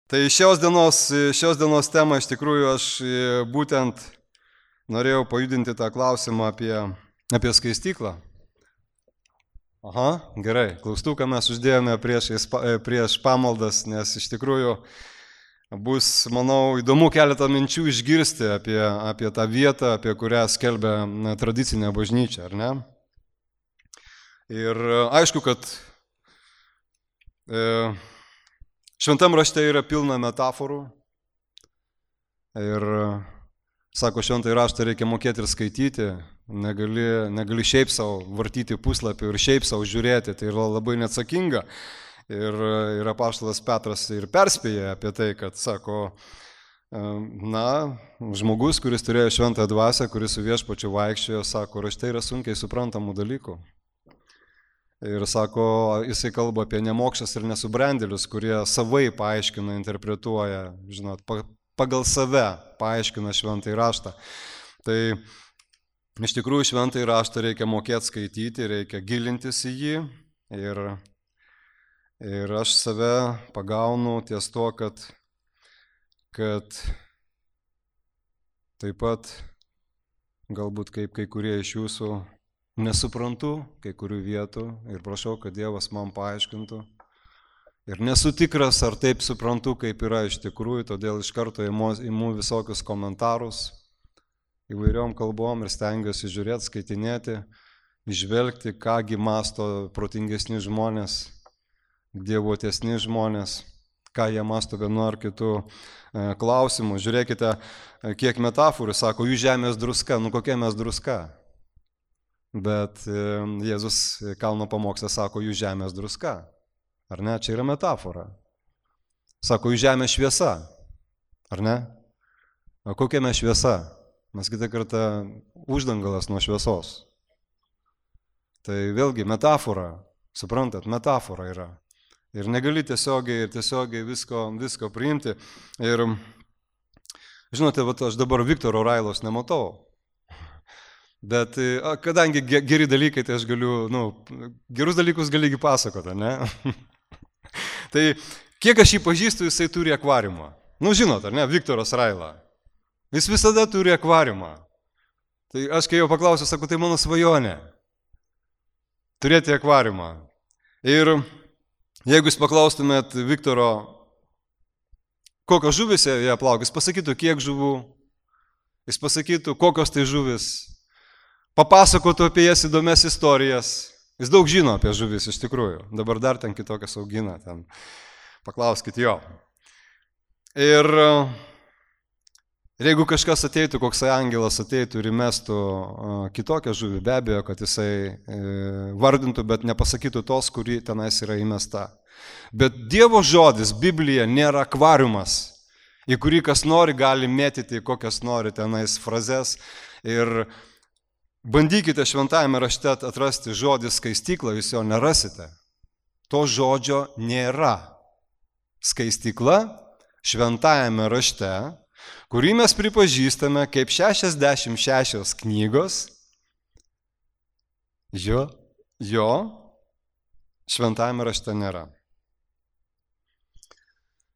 Tai šios dienos temą iš tikrųjų aš būtent norėjau pajudinti tą klausimą apie skaistyklą. Aha, gerai. Klaustuką mes uždėjome prieš pamaldas, nes iš tikrųjų bus, manau, įdomu keletą minčių išgirsti apie tą vietą, apie kurią skelbia tradicinė bažnyčia, ar ne? Ir aišku, kad šventam rašte yra pilna metaforų ir, sako, šventąjį raštą reikia mokėti ir skaityti, negali šiaip savo vartyti puslapį ir šiaip savo žiūrėti, tai yra labai neatsakinga. Ir apaštalas Petras ir perspėja apie tai, kad, sako, žmogus, kuris turėjo šventąją dvasią, kuris su viešpačiu vaikščiojo, sako, rašte yra sunkiai suprantamų dalykų. Ir sako, jisai kalba apie nemokšas ir nesubrendėlius, kurie savai paaiškina, interpretuoja, žinot, pagal save paaiškina šventąjį raštą. Tai iš tikrųjų šventąjį raštą reikia mokėti skaityti, reikia gilintis į jį. Ir aš save pagaunu ties to, kad taip pat galbūt kaip kai kurie iš jūsų nesuprantu kai kurių vietų ir prašau, kad Dievas man paaiškintų. Ir nesu tikras, ar taip suprantu, kaip yra iš tikrųjų, todėl iš karto imu visokius komentarus įvairiom kalbom ir stengiuosi žiūrėti, skaitinėti, išvelgti, kągi mąsto protingesni žmonės, dievotesni žmonės, ką jie mąsto vienu ar kitu klausimu. Žiūrėkite, kiek metaforų, sako, jų žemės druska, kokia mes druska. Bet Jėzus kalno pamoksle sako, jų žemės druska. Ar ne? Čia yra metafora. Sako, jų žemės šviesa. Ar ne? O kokia mes šviesa? Mes kitą kartą uždangalas nuo šviesos. Tai vėlgi metafora. Suprantat, metafora yra. Ir negali tiesiogiai visko priimti. Ir žinote, aš dabar Viktoro Railos nematau. Bet kadangi geri dalykai, tai aš galiu, gerus dalykus galigi pasakoti, ne? Tai kiek aš jį pažįstu, jisai turi akvariumą. Žinot, ar ne, Viktoras Raila. Jis visada turi akvariumą. Tai aš kai jau paklausiu, sakau, tai mano svajonė. Turėti akvariumą. Ir jeigu jūs paklaustumėt Viktoro, kokios žuvis jie plaukia, jis pasakytų, kiek žuvų, jis pasakytų, kokios tai žuvis. Papasakotų apie jas įdomias istorijas. Jis daug žino apie žuvis iš tikrųjų. Dabar dar ten kitokias augina. Paklauskit jo. Ir jeigu kažkas ateitų, koks angelas ateitų ir įmestų kitokią žuvį, be abejo, kad jisai vardintų, bet nepasakytų tos, kuri tenais yra įmesta. Bet Dievo žodis, Biblija, nėra akvariumas, į kurį kas nori gali mėtyti kokias nori tenais frazes. Ir bandykite šventajame rašte atrasti žodį skaistykla, jūs jo nerasite. To žodžio nėra. Skaistykla šventajame rašte, kurį mes pripažįstame kaip 66 knygos, jo šventajame rašte nėra.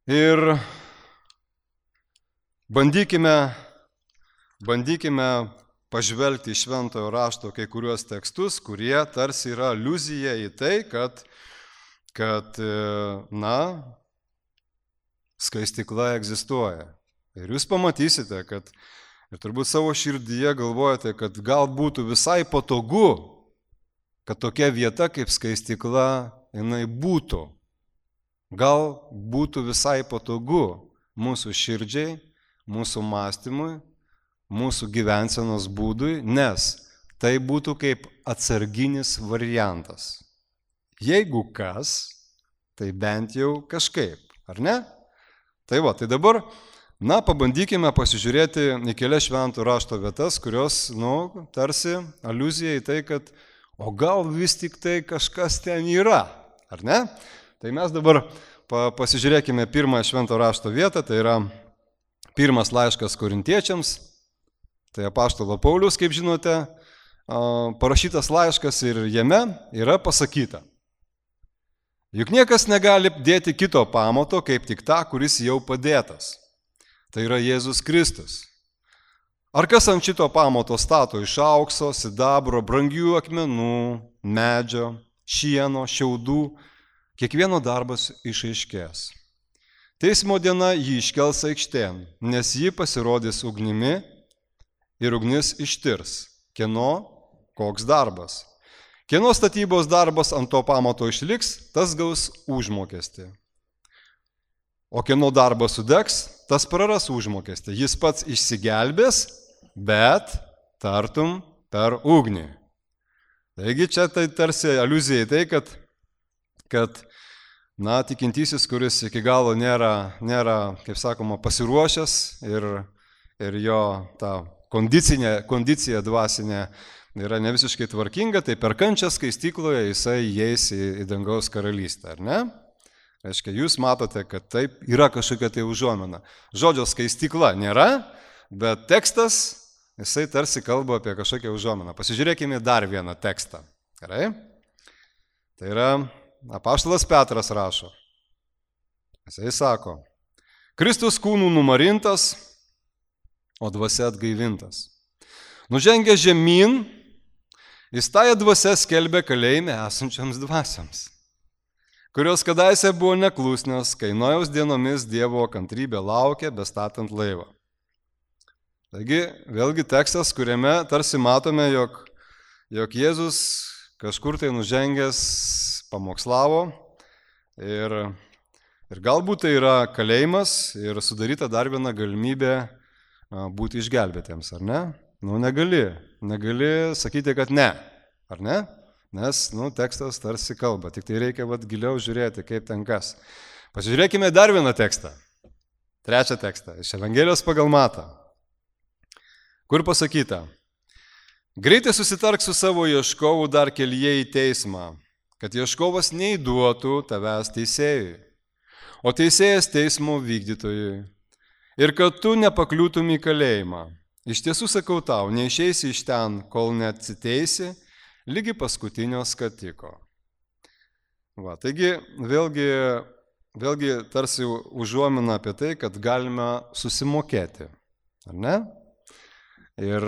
Ir bandykime pažvelgti į šventojo rašto kai kuriuos tekstus, kurie tarsi yra aliuzija į tai, kad skaistykla egzistuoja. Ir jūs pamatysite, ir turbūt savo širdyje galvojate, kad gal būtų visai patogu, kad tokia vieta kaip skaistykla jinai būtų. Gal būtų visai patogu mūsų širdžiai, mūsų mąstymui, mūsų gyvensenos būdui, nes tai būtų kaip atsarginis variantas. Jeigu kas, tai bent jau kažkaip, ar ne? Tai dabar, pabandykime pasižiūrėti į kelias šventų rašto vietas, kurios, tarsi aliuzija į tai, kad o gal vis tik tai kažkas ten yra, ar ne? Tai mes dabar pasižiūrėkime pirmąją švento rašto vietą, tai yra pirmas laiškas Korintiečiams. Tai apaštalo Paulius, kaip žinote, parašytas laiškas ir jame yra pasakyta. Juk niekas negali dėti kito pamato, kaip tik tą, kuris jau padėtas. Tai yra Jėzus Kristus. Ar kas ant šito pamato stato iš aukso, sidabro, brangių akmenų, medžio, šieno, šiaudų, kiekvieno darbas išaiškės. Teismo diena jį iškels aikštėn, nes ji pasirodys ugnimi ir ugnis ištirs, kieno koks darbas. Kieno statybos darbas ant to pamato išliks, tas gaus užmokestį. O kieno darbas sudegs, tas praras užmokestį. Jis pats išsigelbės, bet tartum per ugnį. Taigi čia tai tarsi aliuzija į tai, kad tikintysis, kuris iki galo nėra, kaip sakoma, pasiruošęs ir jo ta kondicija dvasinė yra ne visiškai tvarkinga, tai per kančią skaistykloje jisai įeis į dangaus karalystę, ar ne? Reiškia, jūs matote, kad taip yra kažkokia tai užuomina. Žodžio skaistykla nėra, bet tekstas, jisai tarsi kalba apie kažkokią užuominą. Pasižiūrėkime dar vieną tekstą. Gerai? Tai yra apaštalas Petras rašo. Jisai sako, Kristus kūnų numarintas, o dvasia atgaivintas. Nužengė žemyn, jis tąją dvasią skelbė kalėjime esančiams dvasiams, kurios kadaise buvo neklusnios, kai Nojaus dienomis Dievo kantrybė laukė, bestatant laivą. Taigi, vėlgi tekstas, kuriame tarsi matome, jog Jėzus kažkur tai nužengęs pamokslavo ir galbūt tai yra kalėjimas ir sudaryta dar viena galimybė būti išgelbėtiems, ar ne? Negali sakyti, kad ne, ar ne? Nes, tekstas tarsi kalba, tik tai reikia giliau žiūrėti, kaip ten kas. Pasižiūrėkime dar vieną tekstą, trečią tekstą, iš Evangelijos pagal Matą, kur pasakyta, greitai susitark su savo ieškovu dar kelyje į teismą, kad ieškovas neįduotų tavęs teisėjui, o teisėjas teismo vykdytojui, ir kad tu nepakliūtum į kalėjimą. Iš tiesų sakau tau, neišeisi iš ten, kol neatsiteisi, lygi paskutinio skatiko. Taigi, vėlgi tarsi užuomina apie tai, kad galime susimokėti, ar ne? Ir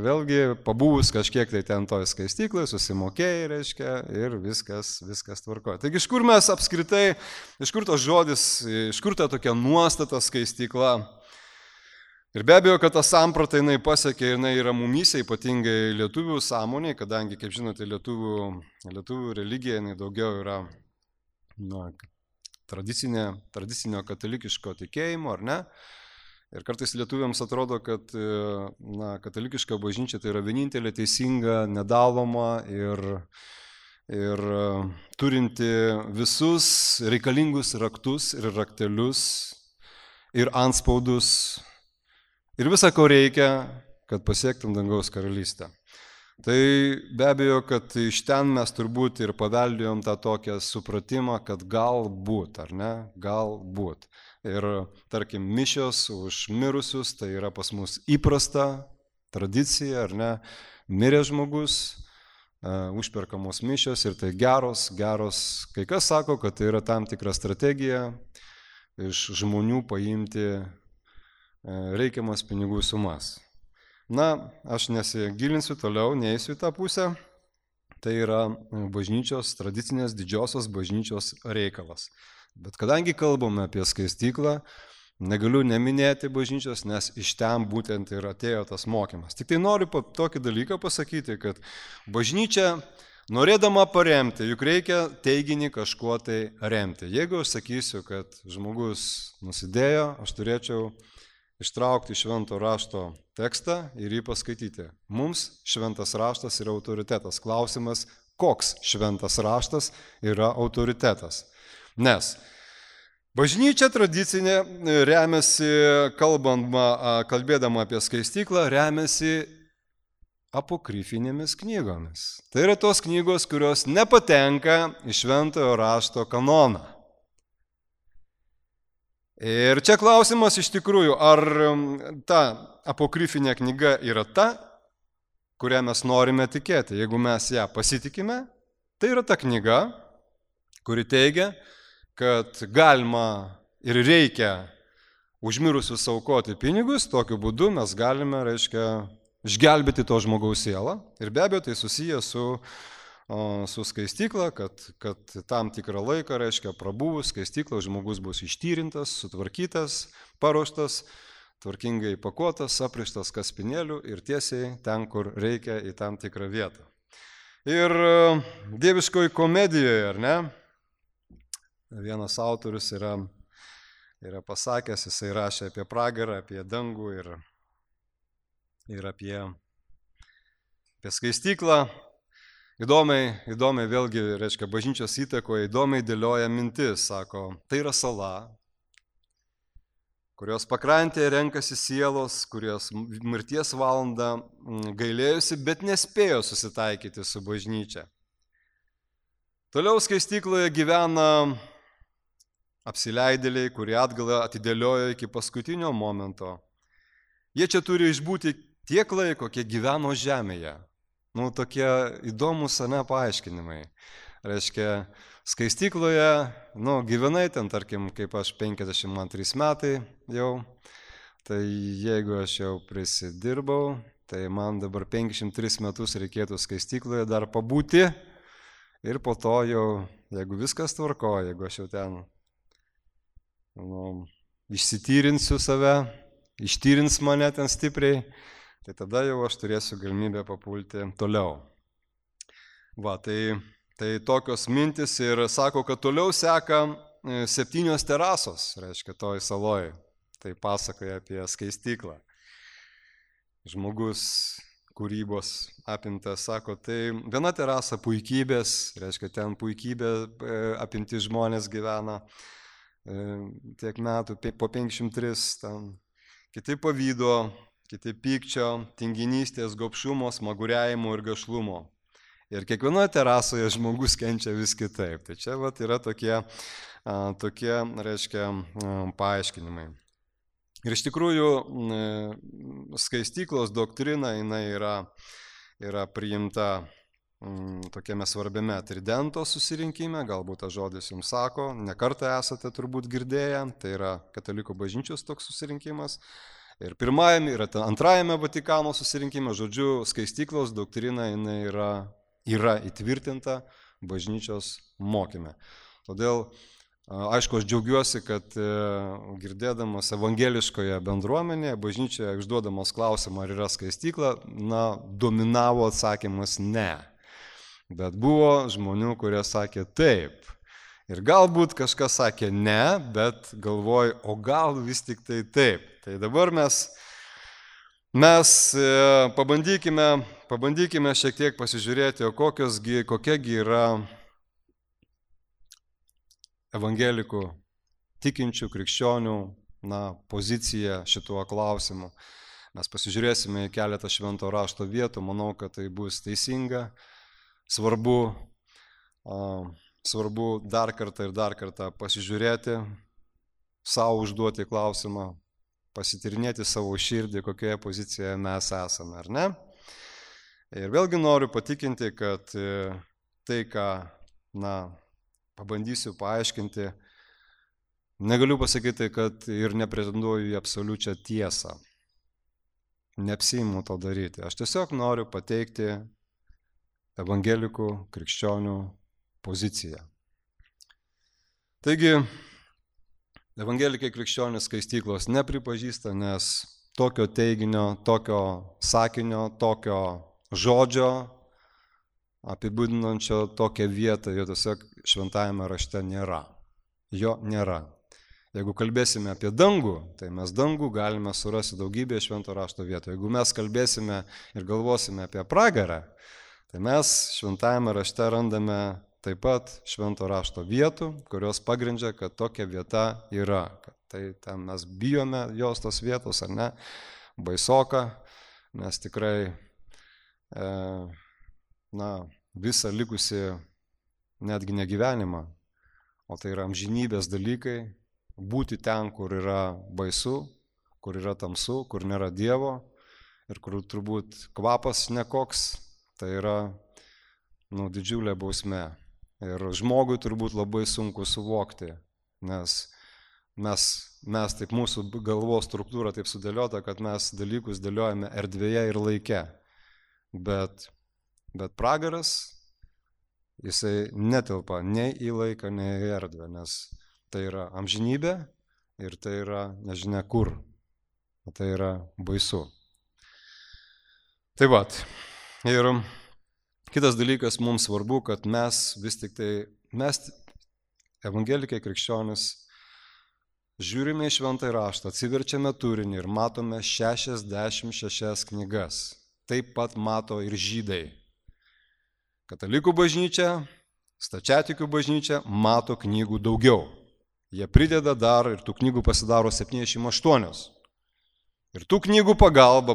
vėlgi pabuvus kažkiek tai ten toj skaistyklai, susimokėjai, reiškia, ir viskas tvarkoja. Taigi, iš kur mes apskritai, iš kur tas žodis, iš kur ta tokia nuostata skaistykla? Ir be abejo, kad ta samprata jinai pasiekė, jinai yra mumyse, ypatingai lietuvių sąmonėje, kadangi, kaip žinote, lietuvių religija jinai daugiau yra tradicinio katalikiško tikėjimo, ar ne? Ir kartais lietuviams atrodo, kad katalikiška bažnyčia tai yra vienintelė teisinga, nedaloma ir turinti visus reikalingus raktus ir raktelius ir anspaudus ir visą, ko reikia, kad pasiektum dangaus karalystę. Tai be abejo, kad iš ten mes turbūt ir paveldėjom tą tokią supratimą, kad galbūt, ar ne, galbūt. Ir, tarkim, mišios už mirusius, tai yra pas mus įprasta tradicija, ar ne, mirė žmogus, užperkamos mišios ir tai geros, kai kas sako, kad tai yra tam tikra strategija iš žmonių paimti reikiamas pinigų sumas. Aš nesigilinsiu toliau, neįsiu į tą pusę, tai yra bažnyčios, tradicinės didžiosios bažnyčios reikalas. Bet kadangi kalbame apie skaistyklą, negaliu neminėti bažnyčios, nes iš ten būtent ir atėjo tas mokymas. Tik tai noriu tokį dalyką pasakyti, kad bažnyčia, norėdama paremti, juk reikia teiginį kažkuo tai remti. Jeigu aš sakysiu, kad žmogus nusidėjo, aš turėčiau ištraukti švento rašto tekstą ir jį paskaityti. Mums šventas raštas yra autoritetas. Klausimas, koks šventas raštas yra autoritetas. Nes bažnyčia tradicinė remiasi, kalbėdama apie skaistyklą, remiasi apokrifinėmis knygomis. Tai yra tos knygos, kurios nepatenka į šventojo rašto kanoną. Ir čia klausimas iš tikrųjų, ar ta apokrifinė knyga yra ta, kurią mes norime tikėti. Jeigu mes ją pasitikime, tai yra ta knyga, kuri teigia, kad galima ir reikia užmirusius aukoti pinigus, tokiu būdu mes galime, išgelbėti to žmogaus sielą. Ir be abejo, tai susiję su skaistykla, kad tam tikrą laiką, prabuvus skaistykla, žmogus bus ištyrintas, sutvarkytas, paruoštas, tvarkingai pakuotas, aprištas kaspinėlių ir tiesiai ten, kur reikia, į tam tikrą vietą. Ir dieviškoji komedijoje, ar ne, vienas autorius yra pasakęs, jisai rašė apie pragarą, apie dangų ir apie skaistyklą. Įdomiai vėlgi, bažnyčios įtakoje, įdomiai dėlioja mintis, sako, tai yra sala, kurios pakrantėje renkasi sielos, kurios mirties valandą gailėjusi, bet nespėjo susitaikyti su bažnyčia. Toliau skaistykloje gyvena apsileidėliai, kurie atgalą atidėliojo iki paskutinio momento. Jie čia turi išbūti tiek laiko, kiek gyveno žemėje. Tokie įdomus paaiškinimai. Skaistykloje, gyvenai ten, tarkim, kaip aš 52 metai jau, tai jeigu aš jau prisidirbau, tai man dabar 53 metus reikėtų skaistykloje dar pabūti ir po to jau, jeigu viskas tvarkoja, jeigu aš jau ten išsityrinsiu save, ištyrins mane ten stipriai, tai tada jau aš turėsiu galimybę papulti toliau. Tai tokios mintis ir sako, kad toliau seka 7 terasos, toj saloj. Tai pasakoja apie skaistyklą. Žmogus kūrybos apimtas, sako, tai viena terasa puikybės, ten puikybė apimti žmonės gyvena tiek metų, po 503, ten, kiti pavydo, kiti pykčio, tinginystės, gobšumo, smaguriavimo ir gašlumo. Ir kiekvienoje terasoje žmogus kenčia vis kitaip. Tai čia yra tokie paaiškinimai. Ir iš tikrųjų skaistyklos doktrina jinai yra priimta tokiame svarbiame Tridento susirinkime, galbūt tas žodis jums sako, ne kartą esate turbūt girdėję, tai yra Katalikų bažnyčios toks susirinkimas. Ir pirmajame, ir antrajame Vatikano susirinkime, žodžiu, skaistyklos doktrina jinai yra įtvirtinta bažnyčios mokyme. Todėl, aišku, aš džiaugiuosi, kad girdėdamas evangeliškoje bendruomenėje, bažnyčioje užduodamas klausimą, ar yra skaistykla, dominavo atsakymas ne. Bet buvo žmonių, kurie sakė taip. Ir galbūt kažkas sakė ne, bet galvoju, o gal vis tik tai taip. Tai dabar mes pabandykime šiek tiek pasižiūrėti, o kokiagi yra evangelikų tikinčių krikščionių pozicija šituo klausimu. Mes pasižiūrėsime į keletą švento rašto vietų, manau, kad tai bus teisinga. Svarbu dar kartą pasižiūrėti, savo užduoti klausimą, pasityrinėti savo širdį, kokioje pozicijoje mes esame, ar ne? Ir vėlgi noriu patikinti, kad tai, ką pabandysiu paaiškinti, negaliu pasakyti, kad ir nepretenduoju į absoliučią tiesą. Neapsiimu to daryti. Aš tiesiog noriu pateikti evangelikų krikščionių poziciją. Taigi, evangelikai krikščionys skaistyklos nepripažįsta, nes tokio teiginio, tokio sakinio, tokio žodžio apibūdinančio tokią vietą, jo tiesiog šventajame rašte nėra. Jo nėra. Jeigu kalbėsime apie dangų, tai mes dangų galime surasti daugybėje švento rašto vietų. Jeigu mes kalbėsime ir galvosime apie pragarą, tai mes šventajame rašte randame taip pat švento rašto vietų, kurios pagrindžia, kad tokia vieta yra. Tai ten mes bijome jos tos vietos, ar ne? Baisoka, nes tikrai visą likusi netgi negyvenimą, o tai yra amžinybės dalykai, būti ten, kur yra baisu, kur yra tamsu, kur nėra Dievo ir kur turbūt kvapas nekoks, tai yra didžiulė bausmė. Ir žmogui turbūt labai sunku suvokti, nes mes taip, mūsų galvos struktūra taip sudėliota, kad mes dalykus dėliojame erdvėje ir laike. Bet pragaras, jisai netelpa nei į laiką, nei į erdvę, nes tai yra amžinybė ir tai yra nežinia kur. Tai yra baisu. Tai vat. Ir kitas dalykas mums svarbu, kad mes vis tik tai, mes evangelikai krikščionis, žiūrime į šventąjį raštą, atsiverčiame turinį ir matome 66 knygas. Taip pat mato ir žydai. Katalikų bažnyčia, stačiatikių bažnyčia mato knygų daugiau. Jie prideda dar ir tų knygų pasidaro 78. Ir tų knygų pagalba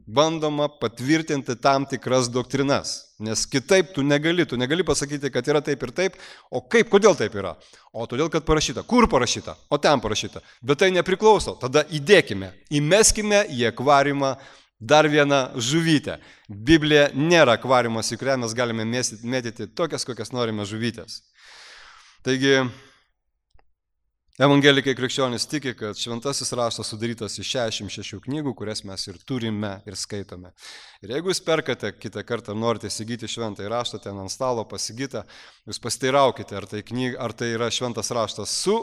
bandoma patvirtinti tam tikras doktrinas. Nes kitaip tu negali pasakyti, kad yra taip ir taip, o kaip, kodėl taip yra? O todėl, kad parašyta. Kur parašyta? O ten parašyta. Bet tai nepriklauso. Tada įmeskime į akvariumą dar vieną žuvytę. Biblija nėra akvariumas, į kurią mes galime mėtyti tokias, kokias norime žuvytės. Taigi, evangelikai krikščionys tiki, kad šventasis raštas sudarytas iš 66 knygų, kurias mes ir turime ir skaitome. Ir jeigu jūs perkate kitą kartą, norite įsigyti šventąjį raštą, ten ant stalo pasigytą, jūs pasiteiraukite, ar tai yra šventas raštas su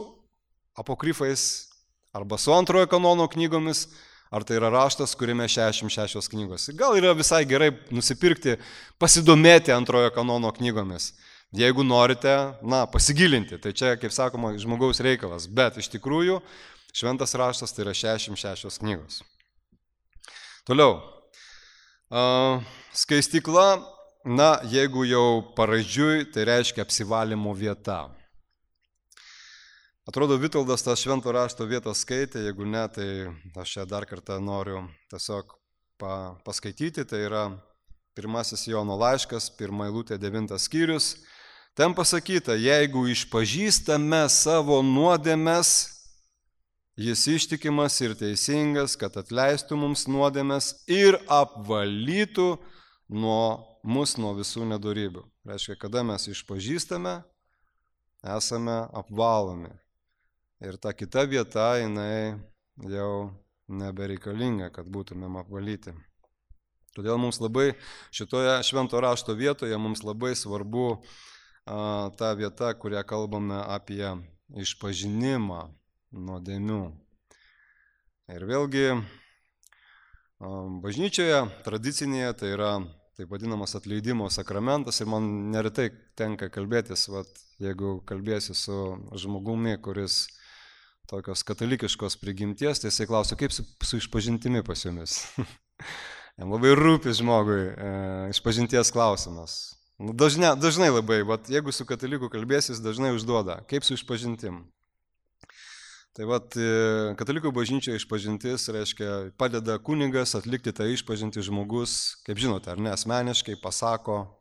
apokrifais arba su antrojo kanono knygomis, ar tai yra raštas, kuriame 66 knygos. Gal yra visai gerai nusipirkti, pasidomėti antrojo kanono knygomis. Jeigu norite, pasigilinti, tai čia, kaip sakoma, žmogaus reikalas, bet iš tikrųjų šventas raštas tai yra 66 knygos. Toliau, skaistykla, jeigu jau paraidžiui, tai reiškia apsivalymo vieta. Atrodo, Vitoldas tą švento rašto vietą skaitė, jeigu ne, tai aš čia dar kartą noriu tiesiog paskaityti, tai yra 1 Jono laiškas, 1 eilutė, 9 skyrius. Ten pasakyta, jeigu išpažįstame savo nuodėmes, jis ištikimas ir teisingas, kad atleistų mums nuodėmes ir apvalytų mus nuo visų nedorybių. Reiškia, kada mes išpažįstame, esame apvalomi. Ir ta kita vieta, jinai jau nebereikalinga, kad būtumėm apvalyti. Todėl mums labai šitoje švento rašto vietoje mums labai svarbu ta vieta, kurią kalbame apie išpažinimą nuodėmių. Ir vėlgi bažnyčioje tradicinėje tai yra taip vadinamas atleidimo sakramentas ir man neretai tenka kalbėtis, jeigu kalbėsi su žmogumi, kuris tokios katalikiškos prigimties, tai jisai klausia, kaip su išpažintimi pas jumis. Jam labai rūpi žmogui išpažinties klausimas. Dažnai labai, bet jeigu su kataliku kalbėsis, dažnai užduoda, kaip su išpažintim. Tai katalikų bažnyčioje išpažintis reiškia padeda kunigas atlikti tą išpažintį žmogus, kaip žinote, ar ne, asmeniškai pasako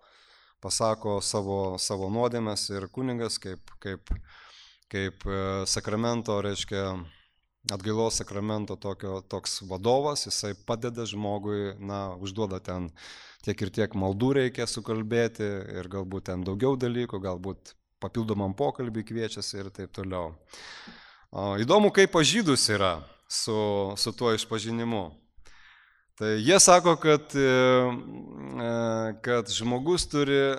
savo nuodėmes ir kunigas kaip sakramento, reiškia atgailos sakramento toks vadovas, jisai padeda žmogui, užduoda ten tiek ir tiek maldų reikia sukalbėti ir galbūt ten daugiau dalykų, galbūt papildomam pokalbį kviečiasi ir taip toliau. Įdomu, kaip pas žydus yra su tuo išpažinimu. Tai jie sako, kad žmogus turi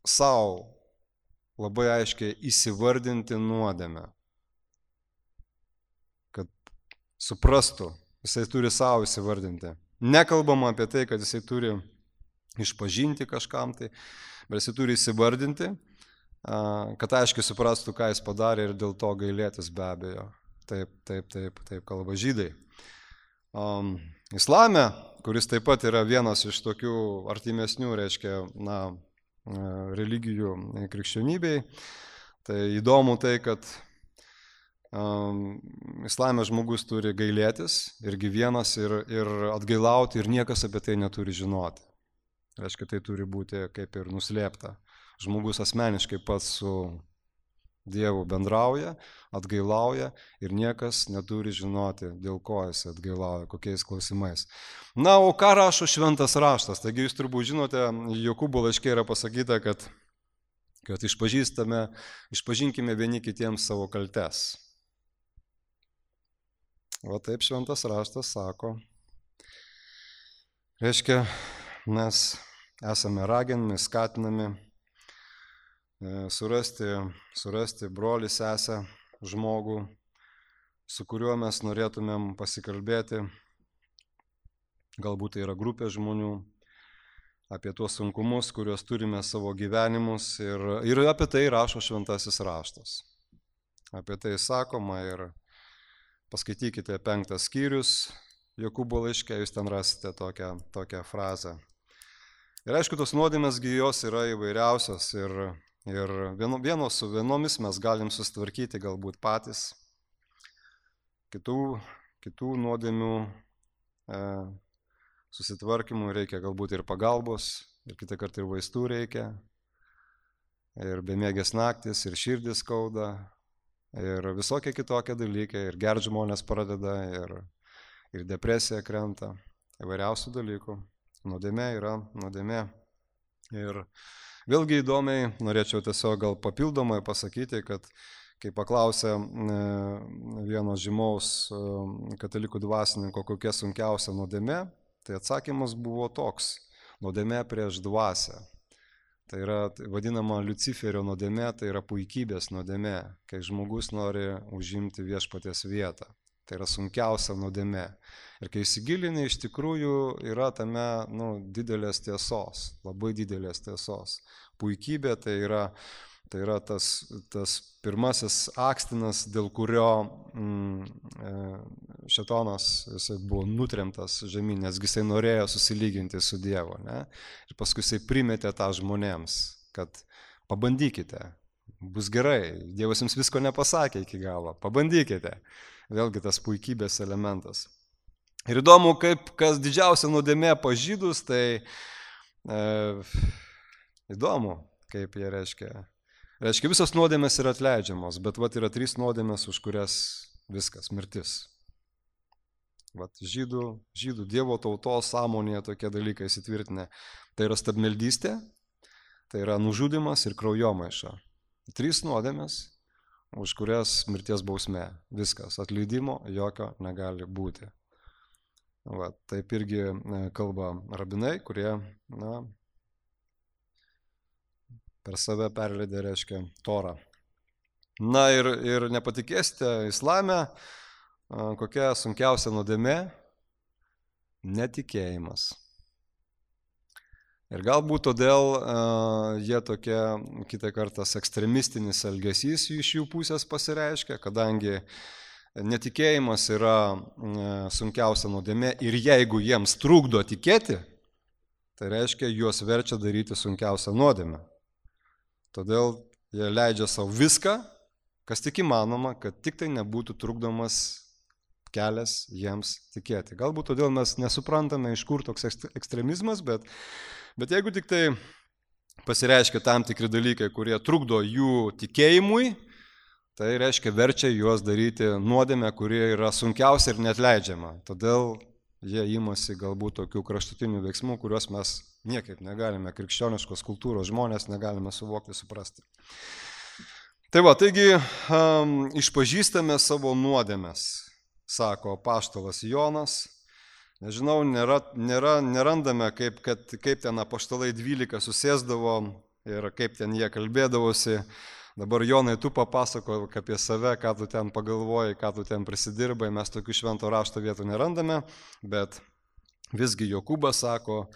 savo labai aiškiai įsivardinti nuodėmę. Kad suprastų, jisai turi savo įsivardinti. Nekalbama apie tai, kad jisai turi išpažinti kažkam tai, bet jisai turi įsivardinti, kad aiškiai suprastų, ką jis padarė ir dėl to gailėtis be abejo. Taip kalba žydai. Islame, kuris taip pat yra vienas iš tokių artimesnių, reiškia, religijų krikščionybei, tai įdomu tai, kad islame žmogus turi gailėtis irgi vienas ir atgailauti ir niekas apie tai neturi žinoti. Reiškia, tai turi būti kaip ir nuslėpta. Žmogus asmeniškai pats su Dievu bendrauja, atgailauja ir niekas neturi žinoti, dėl ko jis atgailauja, kokiais klausimais. O ką rašo šventas raštas? Taigi jūs turbūt žinote, Jokūbo laiške yra pasakyta, kad kad išpažinkime vieni kitiems savo kaltes. O taip šventas raštas sako. Reiškia, mes esame raginami, skatinami surasti brolį, sesę, žmogų, su kuriuo mes norėtumėm pasikalbėti. Galbūt tai yra grupė žmonių, apie tuos sunkumus, kuriuos turime savo gyvenimus ir apie tai rašo šventasis raštas. Apie tai sakoma ir paskaitykite 5 skyrius Jokūbo laiške, jūs ten rasite tokią frazę. Ir aišku, tos nuodėmės jos yra įvairiausios ir su vienomis mes galim susitvarkyti galbūt patys. Kitų nuodėmių susitvarkymų reikia galbūt ir pagalbos, ir kitą kartą ir vaistų reikia, ir bemiegės naktis, ir širdis skauda, ir visokie kitokie dalykai, ir gert žmonės pradeda, ir depresija krenta, įvairiausių dalykų. Nuodėmė yra nuodėmė. Ir vėlgi įdomiai norėčiau tiesiog gal papildomai pasakyti, kad kai paklausė vieno žymaus katalikų dvasininko, kokia sunkiausia nuodėmė, tai atsakymas buvo toks: nuodėmė prieš dvasią. Tai yra vadinama Liuciferio nuodėmė, tai yra puikybės nuodėmė, kai žmogus nori užimti viešpaties vietą. Tai yra sunkiausia nuodėmė. Ir kai įsigilini, iš tikrųjų yra tame didelės tiesos, labai didelės tiesos. Puikybė tai yra tas pirmasis akstinas, dėl kurio šėtonas jisai buvo nutremtas žemyn, nesgi jisai norėjo susilyginti su Dievu. Ne? Ir paskui jisai primetė tą žmonėms, kad pabandykite, bus gerai, Dievas jums visko nepasakė iki galo, pabandykite. Vėlgi tas puikybės elementas. Ir įdomu, kas didžiausia nuodėmė pas žydus, tai įdomu, kaip jie reiškia. Reiškia, visos nuodėmės yra atleidžiamos, bet yra 3 nuodėmės, už kurias viskas, mirtis. Žydų Dievo tautos sąmonėje tokie dalykai įsitvirtinę. Tai yra stabmeldystė, tai yra nužudymas ir kraujomaiša. 3 nuodėmės, už kurias mirties bausmė. Viskas, atleidimo jokio negali būti. Taip irgi kalba rabinai, kurie per save perleidė, reiškia, Torą. Na ir nepatikėsite, islame kokia sunkiausia nuodėmė? Netikėjimas. Ir galbūt todėl jie tokie kitą kartą ekstremistinis elgesys iš jų pusės pasireiškia, kadangi netikėjimas yra sunkiausia nuodėmė ir jeigu jiems trukdo tikėti, tai reiškia, juos verčia daryti sunkiausią nuodėmę. Todėl jie leidžia savo viską, kas tik įmanoma, kad tik tai nebūtų trukdomas kelias jiems tikėti. Galbūt todėl mes nesuprantame, iš kur toks ekstremizmas, bet jeigu tik tai pasireiškia tam tikri dalykai, kurie trukdo jų tikėjimui, tai reiškia verčia juos daryti nuodėmę, kuri yra sunkiausia ir neatleidžiama. Todėl jie imasi galbūt tokių kraštutinių veiksmų, kuriuos mes niekaip negalime, krikščioniškos kultūros žmonės negalime suvokti, suprasti. Taigi išpažįstame savo nuodėmes, sako apaštalas Jonas. Nežinau, nerandame, kaip ten apaštalai 12 susėsdavo ir kaip ten jie kalbėdavosi. Dabar, Jonai, tu papasako apie save, ką tu ten pagalvoji, ką tu ten prisidirbai. Mes tokių švento rašto vietų nerandame, bet visgi Jokūbas sako,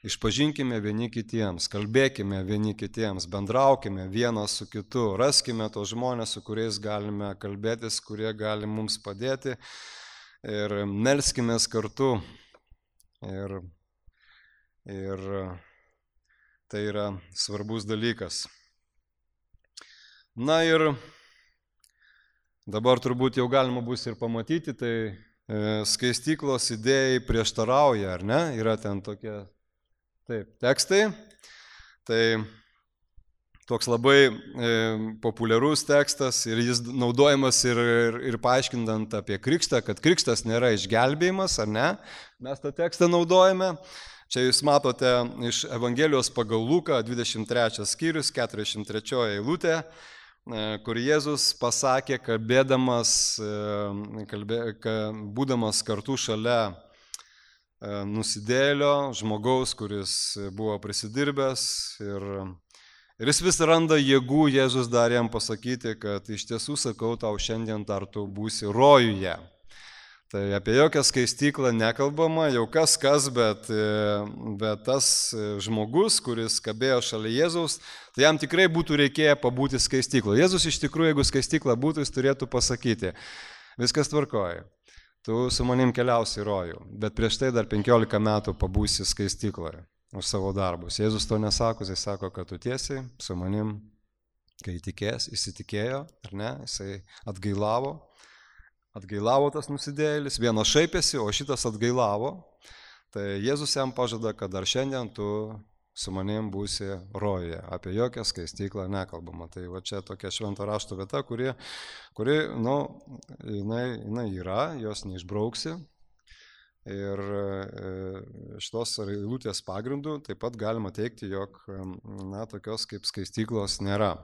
išpažinkime vieni kitiems, kalbėkime vieni kitiems, bendraukime vienas su kitu, raskime tos žmonės, su kuriais galime kalbėtis, kurie gali mums padėti ir melskimės kartu. Ir tai yra svarbus dalykas. Na ir dabar turbūt jau galima bus ir pamatyti, tai skaistyklos idėjai prieštarauja, ar ne? Yra ten tokie tekstai. Tai toks labai populiarus tekstas ir jis naudojamas ir paaiškindant apie krikštą, kad krikštas nėra išgelbėjimas, ar ne? Mes tą tekstą naudojame. Čia jūs matote iš Evangelijos pagal Luką 23 skyrius, 43 eilutė, kur Jėzus pasakė, būdamas kartu šalia nusidėlio žmogaus, kuris buvo prisidirbęs ir jis vis randa jėgų, Jėzus dar jam pasakyti, kad iš tiesų sakau tau, šiandien dar tu būsi rojuje. Tai apie jokią skaistyklą nekalbama, jau kas, bet tas žmogus, kuris kabėjo šalia Jėzaus, tai jam tikrai būtų reikėję pabūti skaistykloje. Jėzus iš tikrųjų, jeigu skaistykla būtų, jis turėtų pasakyti, viskas tvarkoja, tu su manim keliausi į rojų, bet prieš tai dar 15 metų pabūsi skaistykloje už savo darbus. Jėzus to nesako, jis sako, kad tu tiesiai su manim, kai įsitikėjo, ar ne, jisai atgailavo tas nusidėjėlis, vienas šaipėsi, o šitas atgailavo, tai Jėzus jam pažada, kad dar šiandien tu su manim būsi rojuje, apie jokią skaistyklą nekalbama. Tai va čia tokia švento rašto vieta, kuri jinai yra, jos neišbrauksi. Ir šitos eilutės pagrindų taip pat galima teigti, jog tokios kaip skaistyklos nėra.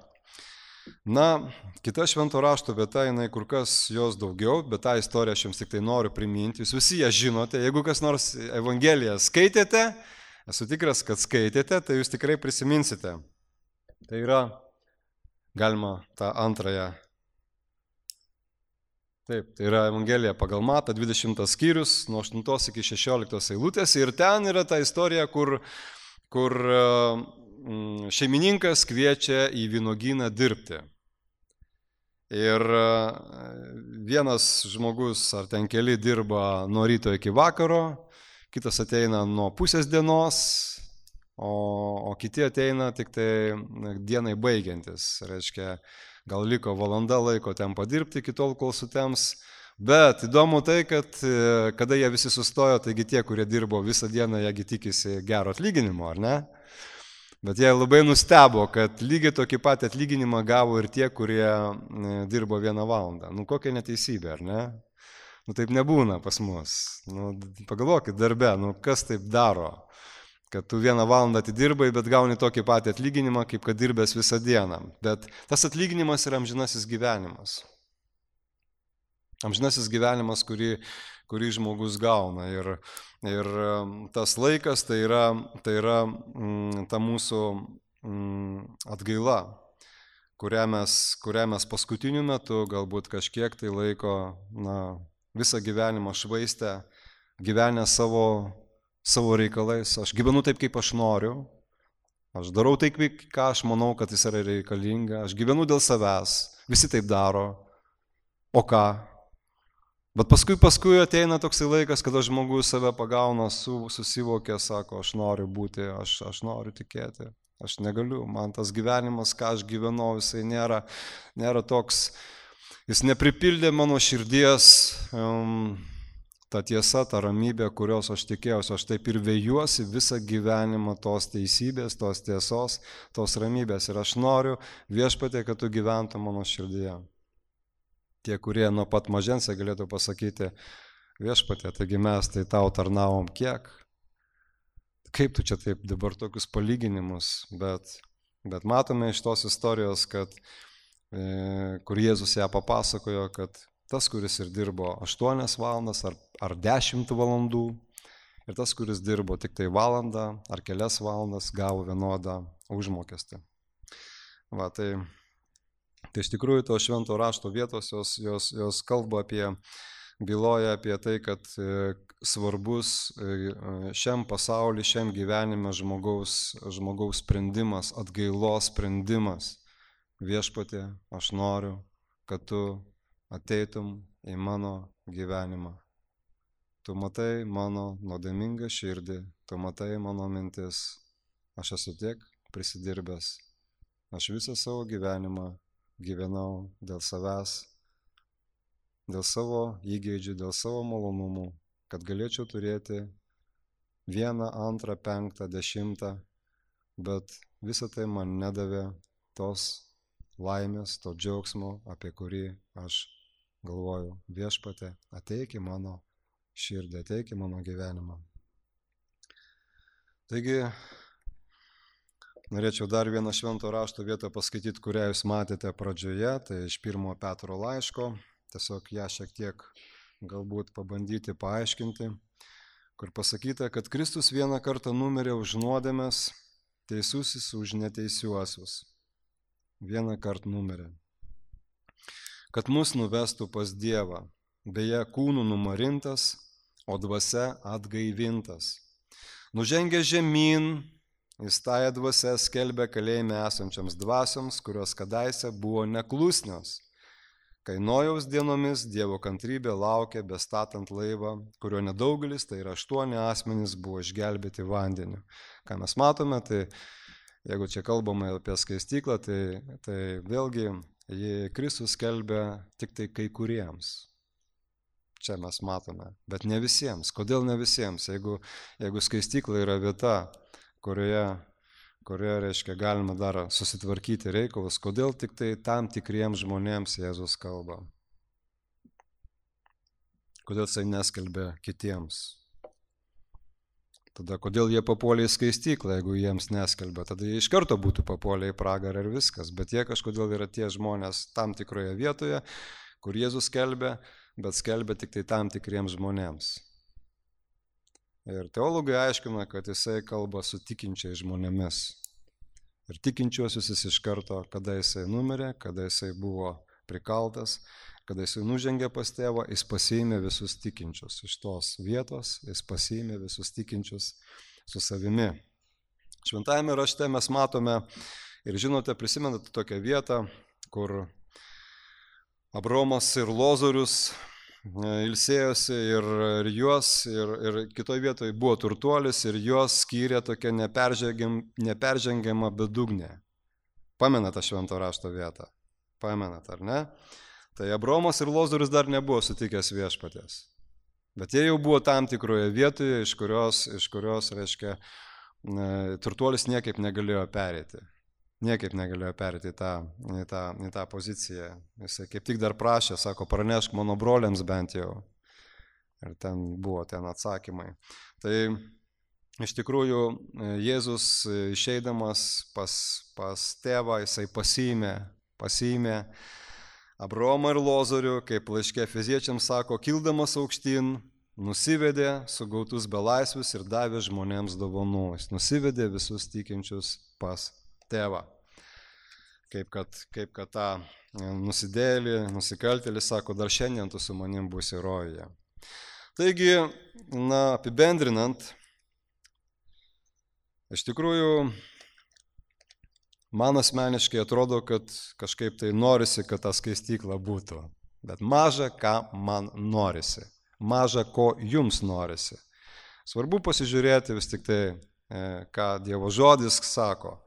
Kita švento rašto vieta, jinai kur kas jos daugiau, bet tą istoriją aš jums tik tai noriu priminti. Jūs visi ją žinote, jeigu kas nors Evangeliją skaitėte, esu tikras, kad skaitėte, tai jūs tikrai prisiminsite. Tai yra, galima tą antrąją. Taip, tai yra Evangelija pagal Matą, 20 skyrius, nuo 8 iki 16 eilutės. Ir ten yra ta istorija, kur šeimininkas kviečia į vynuogyną dirbti. Ir vienas žmogus ar ten keli dirba nuo ryto iki vakaro, kitas ateina nuo pusės dienos, o kiti ateina tik tai dienai baigiantis. Reiškia, gal liko valanda laiko ten padirbti iki tol, kol sutems. Bet įdomu tai, kad kada jie visi sustojo, taigi tie, kurie dirbo visą dieną, jiegi tikisi gero atlyginimo, ar ne? Bet jie labai nustebo, kad lygiai tokį patį atlyginimą gavo ir tie, kurie dirbo 1 valandą. Kokia neteisybė, ar ne? Taip nebūna pas mus. Pagalvokit darbe, kas taip daro, kad tu 1 valandą atidirbai, bet gauni tokį patį atlyginimą, kaip kad dirbęs visą dieną. Bet tas atlyginimas yra amžinasis gyvenimas. Amžinasis gyvenimas, kurį žmogus gauna. Ir tas laikas tai yra ta mūsų atgaila, kurią mes paskutiniu metu galbūt kažkiek tai laiko, visą gyvenimą švaistę, gyvenę savo reikalais. Aš gyvenu taip, kaip aš noriu, aš darau taip, ką aš manau, kad jis yra reikalinga, aš gyvenu dėl savęs, visi taip daro, o ką? Bet paskui ateina toksai laikas, kada žmogus save pagauna, susivokia, sako, aš noriu būti, aš noriu tikėti, aš negaliu, man tas gyvenimas, ką aš gyvenau, jisai nėra toks, jis nepripildė mano širdies ta tiesa, ta ramybė, kurios aš tikėjausi, aš taip ir vejuosi visą gyvenimą tos teisybės, tos tiesos, tos ramybės ir aš noriu, Viešpatie, kad tu gyventum mano širdyje. Tie, kurie nuo pat mažens galėtų pasakyti, Viešpatie, taigi mes tai tau tarnavom kiek? Kaip tu čia taip dabar tokius palyginimus? Bet matome iš tos istorijos, kur Jėzus ją papasakojo, kad tas, kuris ir dirbo 8 valandas ar 10 valandų, ir tas, kuris dirbo tik tai valandą ar kelias valandas, gavo vienodą užmokestį. Tai iš tikrųjų to švento rašto vietos, jos kalba byloja apie tai, kad svarbus šiam pasauliu, šiam gyvenime žmogaus sprendimas, atgailos sprendimas. Viešpatie, aš noriu, kad tu ateitum į mano gyvenimą. Tu matai mano nuodėmingą širdį, tu matai mano mintis, aš esu tiek prisidirbęs, aš visą savo gyvenimą gyvenau dėl savęs, dėl savo įgeidžių, dėl savo malonumų, kad galėčiau turėti 1, 2, 5, 10, bet visą tai man nedavė tos laimės, to džiaugsmo, apie kurį aš galvoju. Viešpatie, ateik į mano širdį, ateik į mano gyvenimą. Taigi, norėčiau dar vieną švento rašto vietą paskaityti, kurią jūs matėte pradžioje, tai iš 1 Petro laiško, tiesiog ją šiek tiek galbūt pabandyti paaiškinti, kur pasakyta, kad Kristus vieną kartą numirė už nuodėmes, teisusis už neteisiuosius. Vieną kartą numirė. Kad mus nuvestų pas Dievą, beje, kūnų numarintas, o dvasia atgaivintas. Nužengė žemyn, jis tąją dvasią skelbė kalėjime esančiams dvasioms, kurios kadaise buvo neklusnios. Kai Nojaus dienomis Dievo kantrybė laukė bestatant laivą, kurio nedaugelis, tai yra 8 asmenys, buvo išgelbėti vandeniu. Ką mes matome, tai jeigu čia kalbame apie skaistyklą, tai vėlgi Kristus skelbia tik tai kai kuriems. Čia mes matome, bet ne visiems. Kodėl ne visiems? Jeigu skaistykla yra vieta, kurioje reiškia, galima dar susitvarkyti reikalus, kodėl tik tai tam tikriems žmonėms Jėzus kalba? Kodėl jisai neskelbia kitiems? Tada kodėl jie papuolė į skaistyklą, jeigu jiems neskelbia? Tada jie iš karto būtų papuolę į pragarą ir viskas, bet jie kažkodėl yra tie žmonės tam tikroje vietoje, kur Jėzus skelbia, bet skelbia tik tai tam tikriems žmonėms. Ir teologai aiškina, kad jisai kalba su tikinčiais žmonėmis. Ir tikinčiuosius jis iš karto, kada jisai numirė, kada jisai buvo prikaltas, kada jisai nužengė pas tėvą, jis pasiėmė visus tikinčius. Iš tos vietos jis pasiėmė visus tikinčius su savimi. Šventajame rašte mes matome ir žinote, prisimenate tokią vietą, kur Abraomas ir Lozorius ilsėjosi ir kitoje vietoje buvo turtuolis ir juos skyrė tokia neperžengiama bedugnė. Pamenate švento rašto vietą? Pamenate, ar ne? Tai Abraomas ir Lozorius dar nebuvo sutikęs viešpaties. Bet jie jau buvo tam tikroje vietoje, iš kurios reiškia, turtuolis niekaip negalėjo pereiti. Niekaip negalėjo perėti į tą poziciją. Jisai kaip tik dar prašė, sako, pranešk mano broliams bent jau. Ir ten buvo atsakymai. Tai iš tikrųjų Jėzus išeidamas pas tėvą, jisai pasiėmė Abraomą ir Lozorių, kaip laiške Efeziečiams sako, kildamas aukštyn, nusivedė sugautus belaisvius ir davė žmonėms dovanų. Jis nusivedė visus tikinčius pas tėvą. Kaip kad tą nusidėlį, nusikaltėlį sako, dar šiandien tu su manim būsi rojuje. Taigi, apibendrinant, iš tikrųjų, man asmeniškai atrodo, kad kažkaip tai norisi, kad ta skaistykla būtų. Bet maža, ką man norisi. Maža, ko jums norisi. Svarbu pasižiūrėti vis tik tai, ką Dievo žodis sako.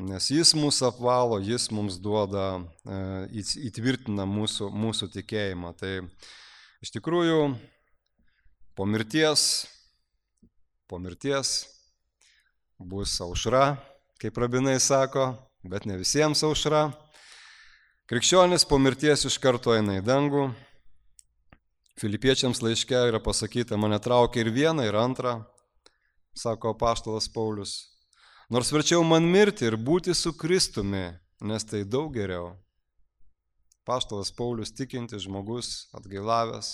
Nes jis mūsų apvalo, jis mums duoda, įtvirtina mūsų tikėjimą. Tai iš tikrųjų po mirties bus aušra, kaip rabinai sako, bet ne visiems aušra. Krikščionis po mirties iš karto eina į dangų. Filipiečiams laiške yra pasakyta, mane traukia ir viena, ir antra, sako apaštalas Paulius. Nors verčiau man mirti ir būti su Kristumi, nes tai daug geriau. Apaštalas Paulius tikintis žmogus, atgailavęs,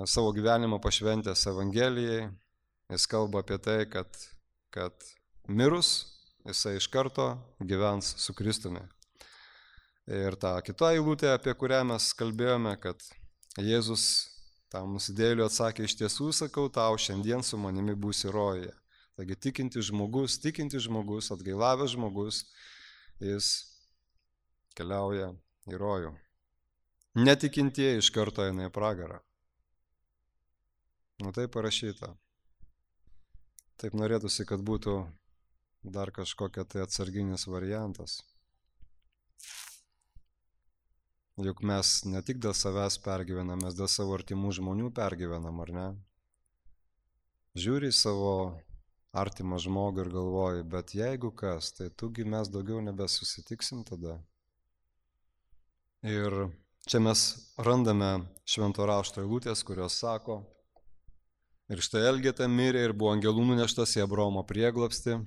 savo gyvenimą pašventęs Evangelijai, jis kalba apie tai, kad mirus jisai iš karto gyvens su Kristumi. Ir ta kita eilutė, apie kurią mes kalbėjome, kad Jėzus tam nusidėjėliui atsakė, iš tiesų sakau tau, šiandien su manimi būsi rojuje. Taigi tikintis žmogus, atgailavęs žmogus, jis keliauja į rojų. Netikintieji iš karto eina į pragarą. Tai parašyta. Taip norėtųsi, kad būtų dar kažkokia tai atsarginis variantas. Juk mes ne tik dėl savęs pergyvenam, mes dėl savo artimų žmonių pergyvenam, ar ne? Žiūri savo artimą žmogų ir galvoji, bet jeigu kas, tai tugi mes daugiau nebesusitiksim tada. Ir čia mes randame švento rašto eilutės, kurios sako, Ir štai Elgeta mirė ir buvo angelų nuneštas į Abraomo prieglobstį.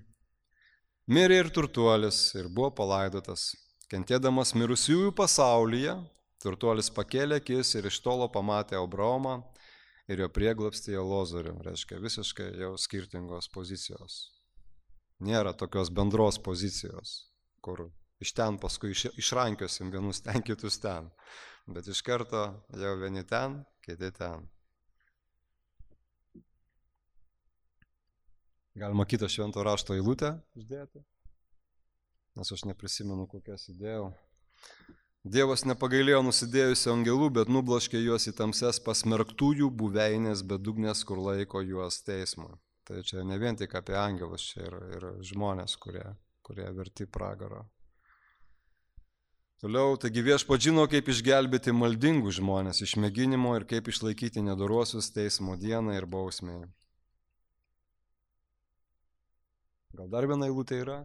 Mirė ir turtuolis ir buvo palaidotas. Kentėdamas mirusiųjų pasaulyje, turtuolis pakėlė akis ir iš tolo pamatė Abraomą ir jo prieglobstyje Lozorių. Reiškia, visiškai jau skirtingos pozicijos. Nėra tokios bendros pozicijos, kur iš ten paskui išrankiosim vienus ten, kitus ten. Bet iš karto jau vieni ten, kiti ten. Galima kitą švento rašto eilutę uždėti, nes aš neprisimenu, kokias įdėjau. Dievas nepagailėjo nusidėjusių angelų, bet nubloškė juos į tamses pasmerktųjų buveinės bedugnės, kur laiko juos teismui. Tai čia ne vien tik apie angelus, čia ir žmonės, kurie verti pragaro. Toliau, taigi viešpats žino, kaip išgelbėti maldingus žmonės iš mėginimo ir kaip išlaikyti nedoruosius teismo dieną ir bausmėje. Gal dar viena eilutė yra?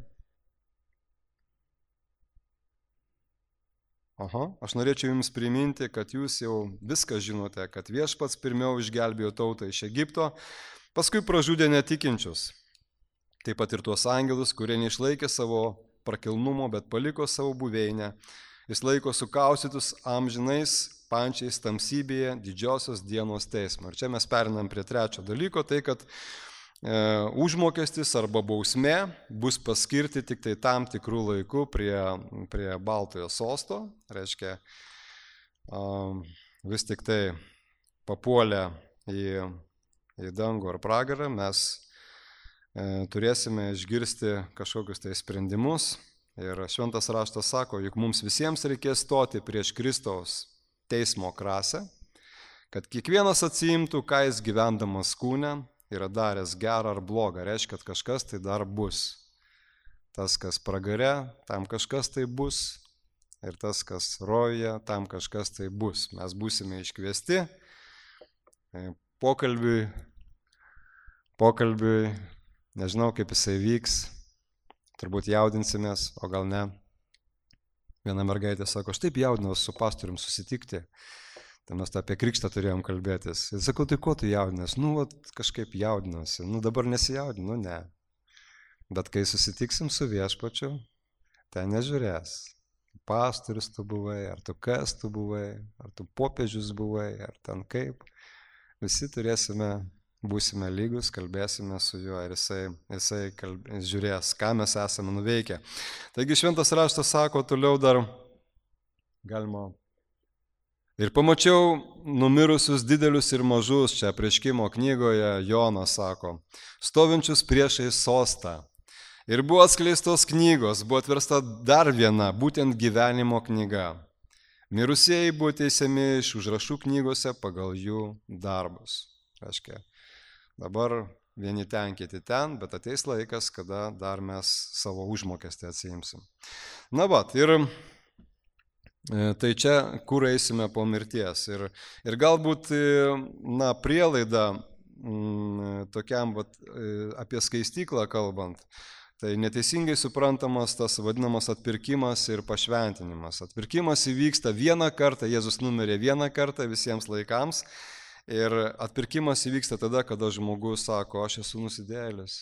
Aš norėčiau jums priminti, kad jūs jau viską žinote, kad viešpats pirmiau išgelbėjo tautą iš Egipto, paskui pražudė netikinčius. Taip pat ir tuos angelus, kurie neišlaikė savo prakilnumo, bet paliko savo buveinę. Jis laiko sukaustytus amžinais pančiais tamsybėje didžiosios dienos teismo. Ir čia mes perinam prie trečio dalyko, tai kad užmokestis arba bausmė bus paskirti tik tai tam tikrų laikų prie Baltojo sosto. Reiškia, vis tik tai papuolę į dangų ar pragarą mes turėsime išgirsti kažkokius tai sprendimus. Ir šventas raštas sako, juk mums visiems reikės stoti prieš Kristaus teismo krasę, kad kiekvienas atsiimtų, ką jis gyvendamas kūne yra daręs gerą ar blogą, reiškia, kad kažkas tai dar bus. Tas, kas pragare, tam kažkas tai bus, ir tas, kas rojuje, tam kažkas tai bus. Mes būsime iškviesti pokalbiui, nežinau, kaip jisai vyks, turbūt jaudinsimės, o gal ne. Viena mergaitė sako, aš taip jaudinausi su pastorium susitikti. Tai mes apie krikštą turėjom kalbėtis. Ir sakau, tai ko tu jaudinasi? Kažkaip jaudinasi. Dabar nesijaudinu, ne. Bet kai susitiksim su viešpačiu, ten nežiūrės. Pastorius tu buvai, ar tu kas tu buvai, ar tu popiežius buvai, ar ten kaip. Visi būsime lygus, kalbėsime su juo ir jisai žiūrės, ką mes esame nuveikę. Taigi šventas raštas sako, toliau dar galima. Ir pamačiau numirusius didelius ir mažus, čia Apreiškimo knygoje Jonas sako, stovinčius priešais sostą. Ir buvo atskleistos knygos, buvo atversta dar viena, būtent gyvenimo knyga. Mirusieji buvo teisiami iš užrašų knygose pagal jų darbus. Reiškia, dabar vieni ten, kiti ten, bet ateis laikas, kada dar mes savo užmokestį atsiimsim. Tai čia, kur eisime po mirties. Ir galbūt, prielaida tokiam apie skaistyklą kalbant, tai neteisingai suprantamas tas vadinamas atpirkimas ir pašventinimas. Atpirkimas įvyksta vieną kartą, Jėzus numirė vieną kartą visiems laikams. Ir atpirkimas įvyksta tada, kada žmogus sako, aš esu nusidėjėlis.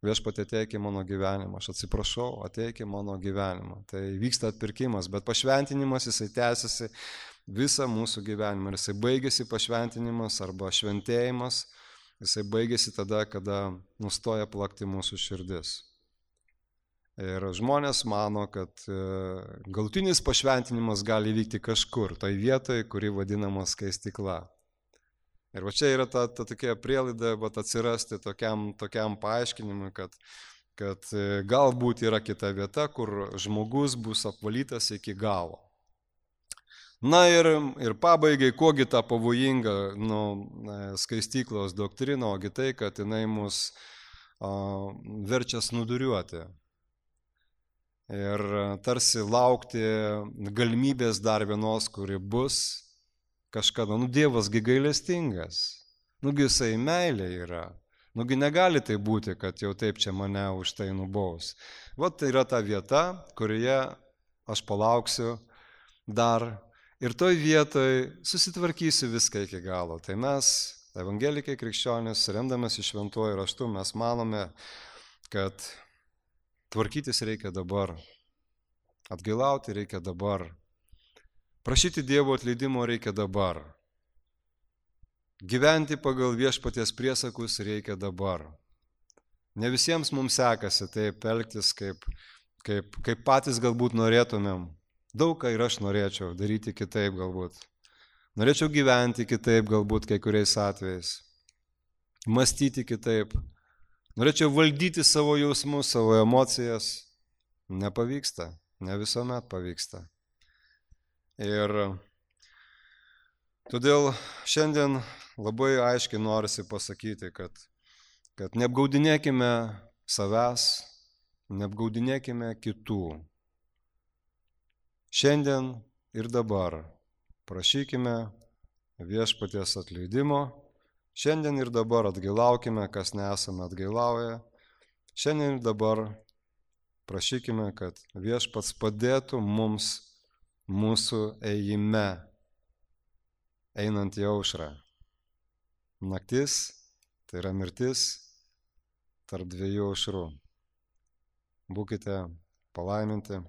Viešpatie, ateik į mano gyvenimą, aš atsiprašau, ateik į mano gyvenimą. Tai vyksta atpirkimas, bet pašventinimas jisai tęsiasi visą mūsų gyvenimą. Ir jisai baigėsi pašventinimas arba šventėjimas, jisai baigėsi tada, kada nustoja plakti mūsų širdis. Ir žmonės mano, kad galutinis pašventinimas gali vykti kažkur, tai vietoje, kuri vadinama skaistykla. Ir va čia yra ta tokia prielaida atsirasti tokiam paaiškinimui, kad galbūt yra kita vieta, kur žmogus bus apvalytas iki galo. Ir pabaigai, kogi ta pavojinga skaistyklos doktrina, ogi tai, kad jinai mus verčia snūduriuoti. Ir tarsi laukti galimybės dar vienos, kuri bus kažkada, Dievasgi gailestingas, jisai meilė yra, negali tai būti, kad jau taip čia mane už tai nubaus. Tai yra ta vieta, kurioje aš palauksiu dar ir toj vietoj susitvarkysiu viską iki galo. Tai mes evangelikai krikščionys, remdamasi šventuoju raštu, mes manome, kad tvarkytis reikia dabar, atgailauti reikia dabar, prašyti Dievo atleidimo reikia dabar, gyventi pagal viešpaties priesakus reikia dabar. Ne visiems mums sekasi taip elgtis, kaip patys galbūt norėtumėm. Daug ką ir aš norėčiau daryti kitaip galbūt. Norėčiau gyventi kitaip galbūt kai kuriais atvejais. Mąstyti kitaip. Norėčiau valdyti savo jausmus, savo emocijas. Nepavyksta. Ne visuomet pavyksta. Ir todėl šiandien labai aiškiai norisi pasakyti, kad neapgaudinėkime savęs, neapgaudinėkime kitų. Šiandien ir dabar prašykime viešpaties atleidimo, šiandien ir dabar atgailaukime, kas nesame atgailauję, šiandien ir dabar prašykime, kad viešpats padėtų mums mūsų ėjime, einant į aušrą. Naktis, tai yra mirtis tarp dviejų aušrų. Būkite palaiminti.